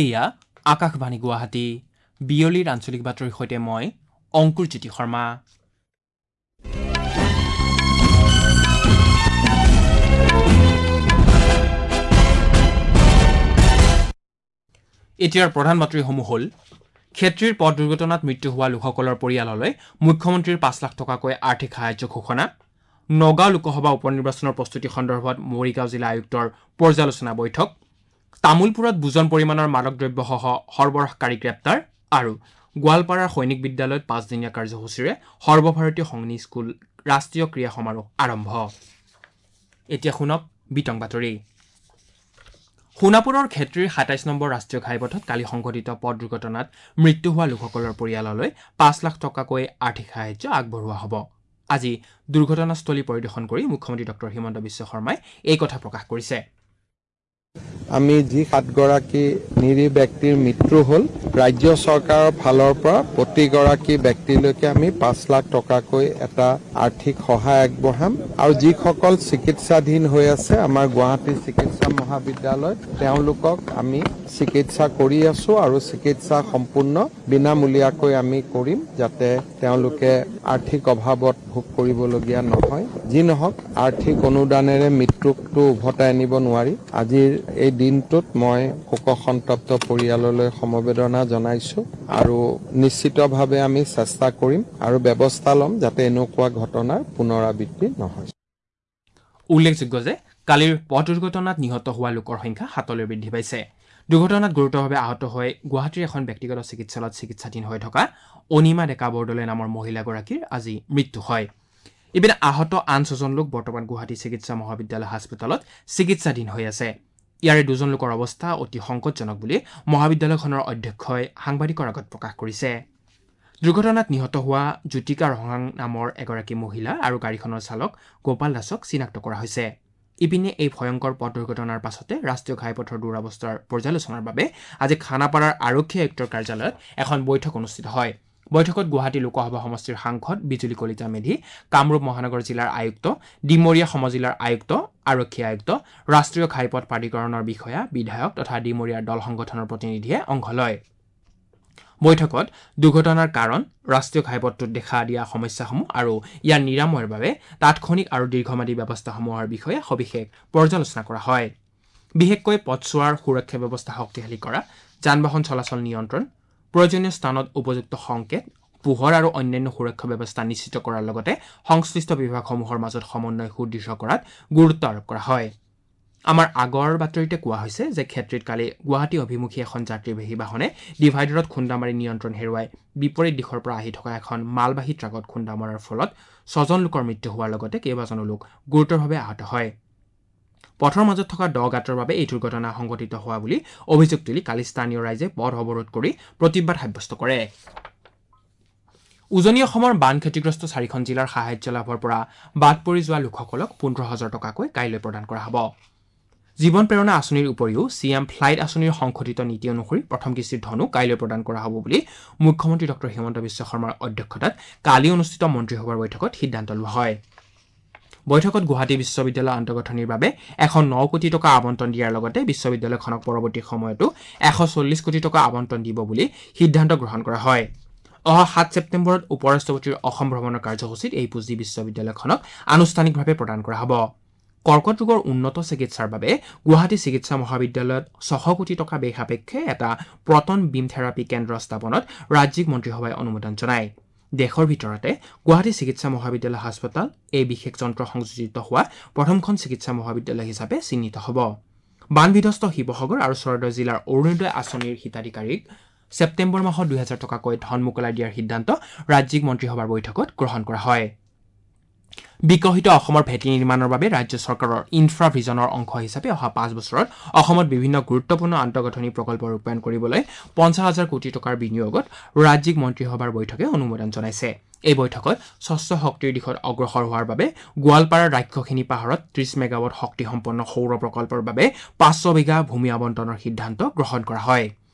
এয়া আকাশবাণী গুৱাহাটী। বিয়লিৰ আঞ্চলিক বাতৰিৰ সৈতে মই অংকুৰ জ্যোতি শৰ্মা। এতিয়াৰ প্ৰধান বাতৰিসমূহ হ'ল: ক্ষেত্ৰীৰ পথ দুৰ্ঘটনাত মৃত্যু হোৱা লোকসকলৰ পৰিয়াললৈ মুখ্যমন্ত্ৰীৰ 5 লাখ টকাকৈ আৰ্থিক সাহায্য ঘোষণা, নগাঁও লোকসভা উপ-নিৰ্বাচনৰ প্ৰস্তুতি সন্দৰ্ভত মৰিগাঁও জিলা আয়ুক্তৰ পৰ্যালোচনা বৈঠক, তামোলপুৰত বুজন পৰিমাণৰ মাদক দ্ৰব্যসহ সৰবৰাহকাৰী গ্ৰেপ্তাৰ আৰু গোৱালপাৰাৰ সৈনিক বিদ্যালয়ত 5দিনীয়া কাৰ্যসূচীৰে সৰ্বভাৰতীয় সৈনিক স্কুল ৰাষ্ট্ৰীয় ক্ৰীড়া সমাৰোহ আৰম্ভ। এতিয়া শুনক বিতং বাতৰি। সোণাপুৰৰ ক্ষেত্ৰীৰ 27 নম্বৰ ৰাষ্ট্ৰীয় ঘাইপথত কালি সংঘটিত পথ দুৰ্ঘটনাত মৃত্যু হোৱা লোকসকলৰ পৰিয়াললৈ 5 লাখ টকাকৈ আৰ্থিক সাহায্য আগবঢ়োৱা হ'ব। আজি দুৰ্ঘটনাস্থলী পৰিদৰ্শন কৰি মুখ্যমন্ত্ৰী ডক্টৰ হিমন্ত বিশ্ব শৰ্মাই এই কথা প্ৰকাশ কৰিছে। আমি যি 7গৰাকী নিৰীহ ব্যক্তিৰ মৃত্যু হ'ল, ৰাজ্য চৰকাৰৰ ফালৰ পৰা প্ৰতিগৰাকী ব্যক্তিলৈকে আমি 5 লাখ টকাকৈ এটা আৰ্থিক সহায় আগবঢ়াম। আৰু যিসকল চিকিৎসাধীন হৈ আছে আমাৰ গুৱাহাটী চিকিৎসা মহাবিদ্যালয়ত, তেওঁলোকক আমি চিকিৎসা কৰি আছো আৰু চিকিৎসা সম্পূৰ্ণ বিনামূলীয়াকৈ আমি কৰিম, যাতে তেওঁলোকে আৰ্থিক অভাৱত ভোগ কৰিবলগীয়া নহয়। যি নহওক, আৰ্থিক অনুদানেৰে মৃত্যুকটো উভতাই আনিব নোৱাৰি। আজিৰ এই দিনটোত মই শোকসন্তপ্ত পৰিয়াললৈ সমবেদনা জনাইছো আৰু নিশ্চিতভাৱে আমি চেষ্টা কৰিম আৰু ব্যৱস্থা ল'ম যাতে এনেকুৱা ঘটনাৰ পুনৰাবৃত্তি নহয়। উল্লেখযোগ্য যে কালিৰ পথ দুৰ্ঘটনাত নিহত হোৱা লোকৰ সংখ্যা 7লৈ বৃদ্ধি পাইছে। দুৰ্ঘটনাত গুৰুতৰভাৱে আহত হৈ গুৱাহাটীৰ এখন ব্যক্তিগত চিকিৎসালয়ত চিকিৎসাধীন হৈ থকা অনিমা ডেকা বৰদলৈ নামৰ মহিলাগৰাকীৰ আজি মৃত্যু হয়। ইপিনে আহত আন 6জন লোক বৰ্তমান গুৱাহাটী চিকিৎসা মহাবিদ্যালয় হাস্পতালত চিকিৎসাধীন হৈ আছে। ইয়াৰে 2জন লোকৰ অৱস্থা অতি সংকটজনক বুলি মহাবিদ্যালয়খনৰ অধ্যক্ষই সাংবাদিকৰ আগত প্ৰকাশ কৰিছে। দুৰ্ঘটনাত নিহত হোৱা জ্যোতিকা ৰহাং নামৰ এগৰাকী মহিলা আৰু গাড়ীখনৰ চালক গোপাল দাসক চিনাক্ত কৰা হৈছে। ইপিনে এই ভয়ংকৰ পথ দুৰ্ঘটনাৰ পাছতে ৰাষ্ট্ৰীয় ঘাইপথৰ দুৰৱস্থাৰ পৰ্যালোচনাৰ বাবে আজি খানাপাৰাৰ আৰক্ষী আয়ুক্তৰ কাৰ্যালয়ত এখন বৈঠক অনুষ্ঠিত হয়। বৈঠকত গুৱাহাটী লোকসভা সমষ্টিৰ সাংসদ বিজুলী কলিতা মেধি, কামৰূপ মহানগৰ জিলাৰ আয়ুক্ত, ডিমৰীয়া সমজিলাৰ আয়ুক্ত, আৰক্ষী আয়ুক্ত, ৰাষ্ট্ৰীয় ঘাইপথ প্ৰাধিকৰণৰ বিষয়া, বিধায়ক তথা ডিমৰীয়াৰ দল সংগঠনৰ প্ৰতিনিধিয়ে অংশ লয়। বৈঠকত দুৰ্ঘটনাৰ কাৰণ, ৰাষ্ট্ৰীয় ঘাইপথটোত দেখা দিয়া সমস্যাসমূহ আৰু ইয়াৰ নিৰাময়ৰ বাবে তাৎক্ষণিক আৰু দীৰ্ঘম্যাদী ব্যৱস্থাসমূহৰ বিষয়ে সবিশেষ পৰ্যালোচনা কৰা হয়। বিশেষকৈ পথছোৱাৰ সুৰক্ষা ব্যৱস্থা শক্তিশালী কৰা, যান বাহন চলাচল নিয়ন্ত্ৰণ, প্ৰয়োজনীয় স্থানত উপযুক্ত সংকেত, পোহৰ আৰু অন্যান্য সুৰক্ষা ব্যৱস্থা নিশ্চিত কৰাৰ লগতে সংশ্লিষ্ট বিভাগসমূহৰ মাজত সমন্বয় সুদৃঢ় কৰাত গুৰুত্ব আৰোপ কৰা হয়। আমাৰ আগৰ বাতৰিতে কোৱা হৈছে যে ক্ষেত্ৰীত কালি গুৱাহাটী অভিমুখী এখন যাত্ৰীবাহী বাহনে ডিভাইডাৰত খুন্দা মাৰি নিয়ন্ত্ৰণ হেৰুৱাই বিপৰীত দিশৰ পৰা আহি থকা এখন মালবাহী ট্ৰাকত খুন্দা মৰাৰ ফলত 6জন লোকৰ মৃত্যু হোৱাৰ লগতে কেইবাজনো লোক গুৰুতৰভাৱে আহত হয়। পথৰ মাজত থকা দ গাঁতৰ বাবে এই দুৰ্ঘটনা সংঘটিত হোৱা বুলি অভিযোগ তুলি কালি স্থানীয় ৰাইজে পথ অৱৰোধ কৰি প্ৰতিবাদ সাব্যস্ত কৰে। উজনি অসমৰ বান ক্ষতিগ্ৰস্ত 4খন জিলাৰ সাহায্য লাভৰ পৰা বাদ পৰি যোৱা লোকসকলক 15,000 টকাকৈ কাইলৈ প্ৰদান কৰা হ'ব। জীৱন প্ৰেৰণা আঁচনিৰ উপৰিও চি এম ফ্লাইট আঁচনিৰ সংশোধিত নীতি অনুসৰি প্ৰথম কিস্তিৰ ধনো কাইলৈ প্ৰদান কৰা হ'ব বুলি মুখ্যমন্ত্ৰী ডক্টৰ হিমন্ত বিশ্ব শৰ্মাৰ অধ্যক্ষতাত কালি অনুষ্ঠিত মন্ত্ৰীসভাৰ বৈঠকত সিদ্ধান্ত লোৱা হয়। বৈঠকত গুৱাহাটী বিশ্ববিদ্যালয় আন্তঃগাঁথনিৰ বাবে 109 কোটি টকা আবণ্টন দিয়াৰ লগতে বিশ্ববিদ্যালয়খনক পৰৱৰ্তী সময়তো 140 কোটি টকা আবণ্টন দিব বুলি সিদ্ধান্ত গ্ৰহণ কৰা হয়। অহা 7 ছেপ্টেম্বৰত উপ-ৰাষ্ট্ৰপতিৰ অসম ভ্ৰমণৰ কাৰ্যসূচীত এই পুঁজি বিশ্ববিদ্যালয়খনক আনুষ্ঠানিকভাৱে প্ৰদান কৰা হ'ব। কৰ্কট ৰোগৰ উন্নত চিকিৎসাৰ বাবে গুৱাহাটী চিকিৎসা মহাবিদ্যালয়ত 600 কোটি টকা ব্যয় সাপেক্ষে এটা প্ৰটন বিম থেৰাপী কেন্দ্ৰ স্থাপনত ৰাজ্যিক মন্ত্ৰীসভাই অনুমোদন জনায়। দেশৰ ভিতৰতে গুৱাহাটী চিকিৎসা মহাবিদ্যালয় হাস্পতাল এই বিশেষ যন্ত্ৰ সংযোজিত হোৱা প্ৰথমখন চিকিৎসা মহাবিদ্যালয় হিচাপে চিহ্নিত হ'ব। বানবিধ্বস্ত শিৱসাগৰ আৰু চৰাইদেউ জিলাৰ অৰুণোদয় আঁচনিৰ হিতাধিকাৰীক ছেপ্টেম্বৰ মাহত 2,000 টকাকৈ ধন মোকলাই দিয়াৰ সিদ্ধান্ত ৰাজ্যিক মন্ত্ৰীসভাৰ বৈঠকত গ্ৰহণ কৰা হয়। বিকশিত অসমৰ ভেটি নিৰ্মাণৰ বাবে ৰাজ্য চৰকাৰৰ ইনফ্ৰা ভিজনৰ অংশ হিচাপে অহা 5 বছৰত অসমত বিভিন্ন গুৰুত্বপূৰ্ণ আন্তঃগাঁথনি প্ৰকল্প ৰূপায়ণ কৰিবলৈ 50,000 কোটি টকাৰ বিনিয়োগত ৰাজ্যিক মন্ত্ৰীসভাৰ বৈঠকে অনুমোদন জনাইছে। এই বৈঠকত স্বচ্ছ শক্তিৰ দিশত অগ্ৰসৰ হোৱাৰ বাবে গোৱালপাৰাৰ ৰাক্ষসিনী পাহাৰত 30 মেগাৱাট শক্তিসম্পন্ন সৌৰ প্ৰকল্পৰ বাবে 500 বিঘা ভূমি আবণ্টনৰ সিদ্ধান্ত গ্ৰহণ কৰা হয়।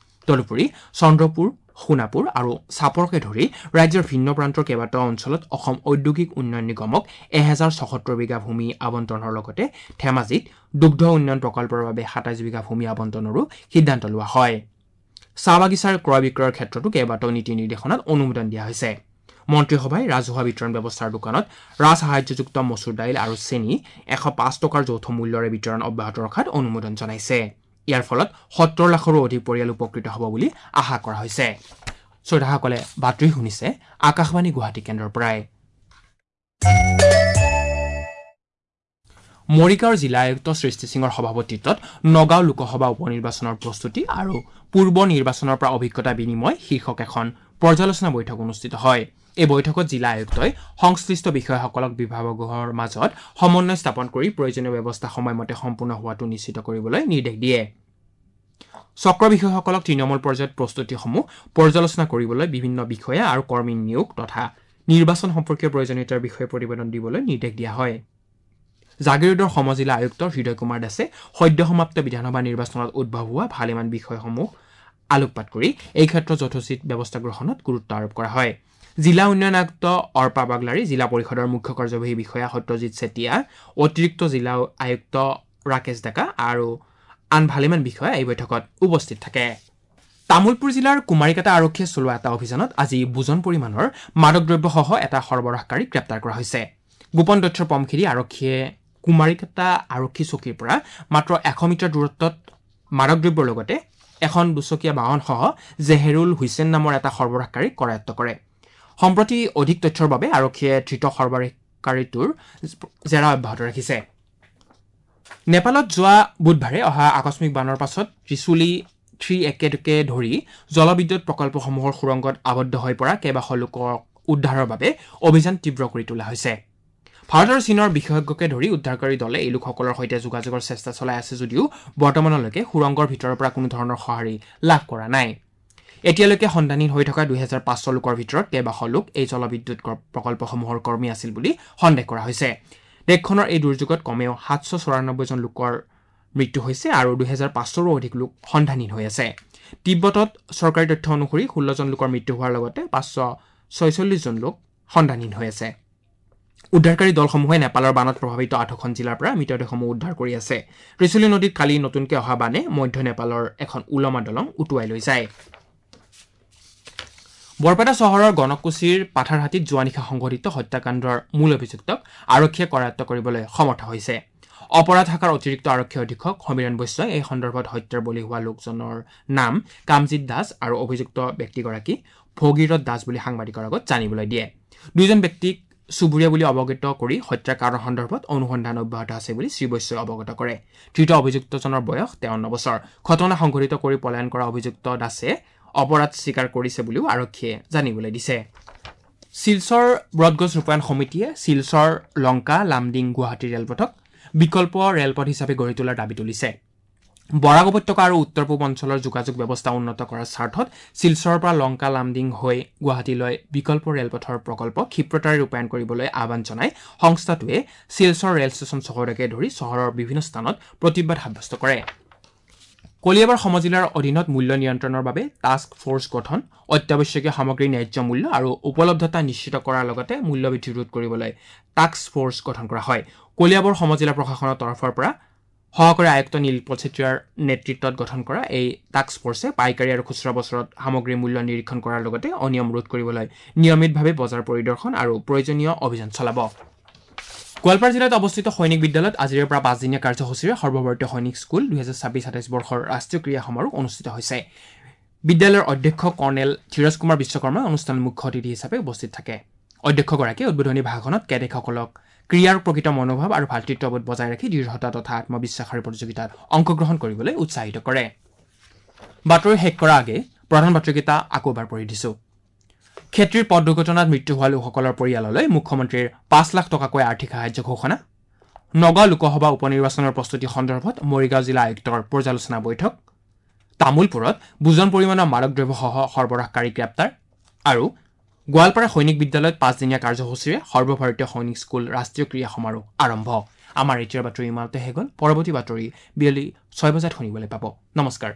তদুপৰি চন্দ্ৰপুৰ, সোণাপুৰ আৰু চাপৰকে ধৰি ৰাজ্যৰ ভিন্ন প্ৰান্তৰ কেইবাটাও অঞ্চলত অসম ঔদ্যোগিক উন্নয়ন নিগমক 1076 বিঘা ভূমি আবণ্টনৰ লগতে ধেমাজিত দুগ্ধ উন্নয়ন প্ৰকল্পৰ বাবে 27 বিঘা ভূমি আবণ্টনৰো সিদ্ধান্ত লোৱা হয়। চাহ বাগিচাৰ ক্ৰয় বিক্ৰয়ৰ ক্ষেত্ৰতো কেইবাটাও নীতি নিৰ্দেশনাত অনুমোদন দিয়া হৈছে। মন্ত্ৰীসভাই ৰাজহুৱা বিতৰণ ব্যৱস্থাৰ দোকানত ৰাজসাহায্যযুক্ত মচুৰ দাইল আৰু চেনি 105 টকাৰ যৌথ মূল্যৰে বিতৰণ অব্যাহত ৰখাত অনুমোদন জনাইছে। ইয়াৰ ফলত 70 লাখৰো অধিক পৰিয়াল উপকৃত হ'ব বুলি আশা কৰা হৈছে। শ্ৰোতাসকলে বাতৰি শুনিছে আকাশবাণী গুৱাহাটী কেন্দ্ৰৰ পৰাই। মৰিগাঁৱৰ জিলা আয়ুক্ত সৃষ্টি সিঙৰ সভাপতিত্বত নগাঁও লোকসভা উপ নিৰ্বাচনৰ প্ৰস্তুতি আৰু পূৰ্ব নিৰ্বাচনৰ পৰা অভিজ্ঞতা বিনিময় শীৰ্ষক এখন পৰ্যালোচনা বৈঠক অনুষ্ঠিত হয়। এই বৈঠকত জিলা আয়ুক্তই সংশ্লিষ্ট বিষয়াসকলক বিভাগসমূহৰ মাজত সমন্বয় স্থাপন কৰি প্ৰয়োজনীয় ব্যৱস্থা সময়মতে সম্পূৰ্ণ হোৱাটো নিশ্চিত কৰিবলৈ নিৰ্দেশ দিয়ে। চক্ৰ বিষয়াসকলক তৃণমূল পৰ্যায়ত প্ৰস্তুতিসমূহ পৰ্যালোচনা কৰিবলৈ বিভিন্ন বিষয়া আৰু কৰ্মী নিয়োগ তথা নিৰ্বাচন সম্পৰ্কীয় প্ৰয়োজনীয়তাৰ বিষয়ে প্ৰতিবেদন দিবলৈ নিৰ্দেশ দিয়া হয়। জাগিৰোডৰ সমজিলা আয়ুক্ত হৃদয় কুমাৰ দাসে সদ্য সমাপ্ত বিধানসভা নিৰ্বাচনত উদ্ভৱ হোৱা ভালেমান বিষয়সমূহ আলোকপাত কৰি এই ক্ষেত্ৰত যথোচিত ব্যৱস্থা গ্ৰহণত গুৰুত্ব আৰোপ কৰা হয়। জিলা উন্নয়ন আয়ুক্ত অৰ্পা বাগলাৰী, জিলা পৰিষদৰ মুখ্য কাৰ্যবাহী বিষয়া সত্যজিৎ চেতিয়া, অতিৰিক্ত জিলা আয়ুক্ত ৰাকেশ ডেকা আৰু আন ভালেমান বিষয়া এই বৈঠকত উপস্থিত থাকে। তামুলপুৰ জিলাৰ কুমাৰীকাটা আৰক্ষীয়ে চলোৱা এটা অভিযানত আজি বুজন পৰিমাণৰ মাদক দ্ৰব্যসহ এটা সৰবৰাহকাৰীক গ্ৰেপ্তাৰ কৰা হৈছে। গোপন তথ্যৰ পম খেদি আৰক্ষীয়ে কুমাৰীকাটা আৰক্ষী চকীৰ পৰা মাত্ৰ 100 মিটাৰ দূৰত্বত মাদক দ্ৰব্যৰ লগতে এখন দুচকীয়া বাহনসহ জেহেৰুল হুছেইন নামৰ এটা সৰবৰাহকাৰীক কৰায়ত্ব কৰে। সম্প্ৰতি অধিক তথ্যৰ বাবে আৰক্ষীয়ে ধৃত সৰবৰাহকাৰীটোৰ জেৰা অব্যাহত ৰাখিছে। নেপালত যোৱা বুধবাৰে অহা আকস্মিক বানৰ পাছত ত্ৰিচুলি 3 একে ধৰি জলবিদ্যুৎ প্ৰকল্পসমূহৰ সুৰংগত আবদ্ধ হৈ পৰা কেইবাশ লোকক উদ্ধাৰৰ বাবে অভিযান তীব্ৰ কৰি তোলা হৈছে। ভাৰত আৰু চীনৰ বিশেষজ্ঞকে ধৰি উদ্ধাৰকাৰী দলে এই লোকসকলৰ সৈতে যোগাযোগৰ চেষ্টা চলাই আছে যদিও বৰ্তমানলৈকে সুৰংগৰ ভিতৰৰ পৰা কোনো ধৰণৰ সঁহাৰি লাভ কৰা নাই। এতিয়ালৈকে সন্ধানহীন হৈ থকা 2500 লোকৰ ভিতৰত কেইবাশ লোক এই জলবিদ্যুৎ প্ৰকল্পসমূহৰ কৰ্মী আছিল বুলি সন্দেহ কৰা হৈছে। দেশখনৰ এই দুৰ্যোগত কমেও 794 জন লোকৰ মৃত্যু হৈছে আৰু 2500ৰো অধিক লোক সন্ধানহীন হৈ আছে। তিব্বতত চৰকাৰী তথ্য অনুসৰি 16 জন লোকৰ মৃত্যু হোৱাৰ লগতে 546 জন লোক সন্ধানহীন হৈ আছে। উদ্ধাৰকাৰী দলসমূহে নেপালৰ বানত প্ৰভাৱিত 8খন জিলাৰ পৰা মৃতদেহসমূহ উদ্ধাৰ কৰি আছে। ত্ৰিচুলি নদীত কালি নতুনকৈ অহা বানে মধ্য নেপালৰ এখন ওলমা দলং উটুৱাই লৈ যায়। বৰপেটা চহৰৰ গণকুছিৰ পাথাৰহাটীত যোৱা নিশা সংঘটিত হত্যাকাণ্ডৰ মূল অভিযুক্তক আৰক্ষীয়ে কৰায়ত্ব কৰিবলৈ সমৰ্থ হৈছে। অপৰাধ শাখাৰ অতিৰিক্ত আৰক্ষী অধীক্ষক সমীৰণ বৈশ্যই এই সন্দৰ্ভত হত্যাৰ বলি হোৱা লোকজনৰ নাম কামজিৎ দাস আৰু অভিযুক্ত ব্যক্তিগৰাকী ভগীৰথ দাস বুলি সাংবাদিকৰ আগত জানিবলৈ দিয়ে। দুয়োজন ব্যক্তিক চুবুৰীয়া বুলি অৱগত কৰি হত্যাৰ কাৰণ সন্দৰ্ভত অনুসন্ধান অব্যাহত আছে বুলি শ্ৰীবৈশ্যই অৱগত কৰে। ধৃত অভিযুক্তজনৰ বয়স 53 বছৰ। ঘটনা সংঘটিত কৰি পলায়ন কৰা অভিযুক্ত দাসে অপৰাধ স্বীকাৰ কৰিছে বুলিও আৰক্ষীয়ে জানিবলৈ দিছে। শিলচৰ ব্ৰডগজ ৰূপায়ণ সমিতিয়ে শিলচৰ লংকা লামডিং গুৱাহাটী ৰেলপথক বিকল্প ৰেলপথ হিচাপে গঢ়ি তোলাৰ দাবী তুলিছে। বৰাক উপত্যকা আৰু উত্তৰ পূব অঞ্চলৰ যোগাযোগ ব্যৱস্থা উন্নত কৰাৰ স্বাৰ্থত শিলচৰৰ পৰা লংকা লামডিং হৈ গুৱাহাটীলৈ বিকল্প ৰেলপথৰ প্ৰকল্প ক্ষিপ্ৰতাৰে ৰূপায়ণ কৰিবলৈ আহ্বান জনাই সংস্থাটোৱে শিলচৰ ৰেল ষ্টেচন চহৰকে ধৰি চহৰৰ বিভিন্ন স্থানত প্ৰতিবাদ সাব্যস্ত কৰে। কলিয়াবৰ সমজিলাৰ অধীনত মূল্য নিয়ন্ত্ৰণৰ বাবে টাস্ক ফ'ৰ্চ গঠন, অত্যাৱশ্যকীয় সামগ্ৰীৰ ন্যায্য মূল্য আৰু উপলব্ধতা নিশ্চিত কৰাৰ লগতে মূল্যবৃদ্ধি ৰোধ কৰিবলৈ টাস্ক ফ'ৰ্চ গঠন কৰা হয়। কলিয়াবৰ সমজিলা প্ৰশাসনৰ তৰফৰ পৰা সহকাৰী আয়ুক্ত নীলপল চেতিয়াৰ নেতৃত্বত গঠন কৰা এই টাস্ক ফ'ৰ্চে পাইকাৰী আৰু খুচুৰা বজাৰত সামগ্ৰীৰ মূল্য নিৰীক্ষণ কৰাৰ লগতে অনিয়ম ৰোধ কৰিবলৈ নিয়মিতভাৱে বজাৰ পৰিদৰ্শন আৰু প্ৰয়োজনীয় অভিযান চলাব। গোৱালপাৰা জিলাত অৱস্থিত সৈনিক বিদ্যালয়ত আজিৰে পৰা 5দিনীয়া কাৰ্যসূচীৰে সৰ্বভাৰতীয় সৈনিক স্কুল 2026-27 বৰ্ষৰ ৰাষ্ট্ৰীয় ক্ৰীড়া সমাৰোহ অনুষ্ঠিত হৈছে। বিদ্যালয়ৰ অধ্যক্ষ কৰ্ণেল ধীৰজ কুমাৰ বিশ্বকৰ্মাই অনুষ্ঠানত মুখ্য অতিথি হিচাপে উপস্থিত থাকে। অধ্যক্ষগৰাকীয়ে উদ্বোধনী ভাষণত কেডেটসকলক ক্ৰীড়াৰ প্ৰকৃত মনোভাৱ আৰু ভাতৃত্ববোধ বজাই ৰাখি দৃঢ়তা তথা আত্মবিশ্বাসেৰে প্ৰতিযোগিতাত অংশগ্ৰহণ কৰিবলৈ উৎসাহিত কৰে। বাতৰি শেষ কৰাৰ আগে প্ৰধান বাতৰিকেইটা আকৌ এবাৰ পঢ়ি দিছোঁ। খেতিৰ পথ দুৰ্ঘটনাত মৃত্যু হোৱা লোকসকলৰ পৰিয়াললৈ মুখ্যমন্ত্ৰীৰ 5 লাখ টকাকৈ আৰ্থিক সাহায্য ঘোষণা। নগাঁও লোকসভা উপ নিৰ্বাচনৰ প্ৰস্তুতি সন্দৰ্ভত মৰিগাঁও জিলা আয়ুক্তৰ পৰ্যালোচনা বৈঠক। তামুলপুৰত বুজন পৰিমাণৰ মাদক দ্ৰব্যসহ সৰবৰাহকাৰী গ্ৰেপ্তাৰ আৰু গোৱালপাৰা সৈনিক বিদ্যালয়ত 5দিনীয়া কাৰ্যসূচীৰে সৰ্বভাৰতীয় সৈনিক স্কুল ৰাষ্ট্ৰীয় ক্ৰীড়া সমাৰোহ আৰম্ভ। আমাৰ এতিয়াৰ বাতৰি ইমানতে শেষ হ'ল। পৰৱৰ্তী বাতৰি বিয়লি 6 বজাত শুনিবলৈ পাব। নমস্কাৰ।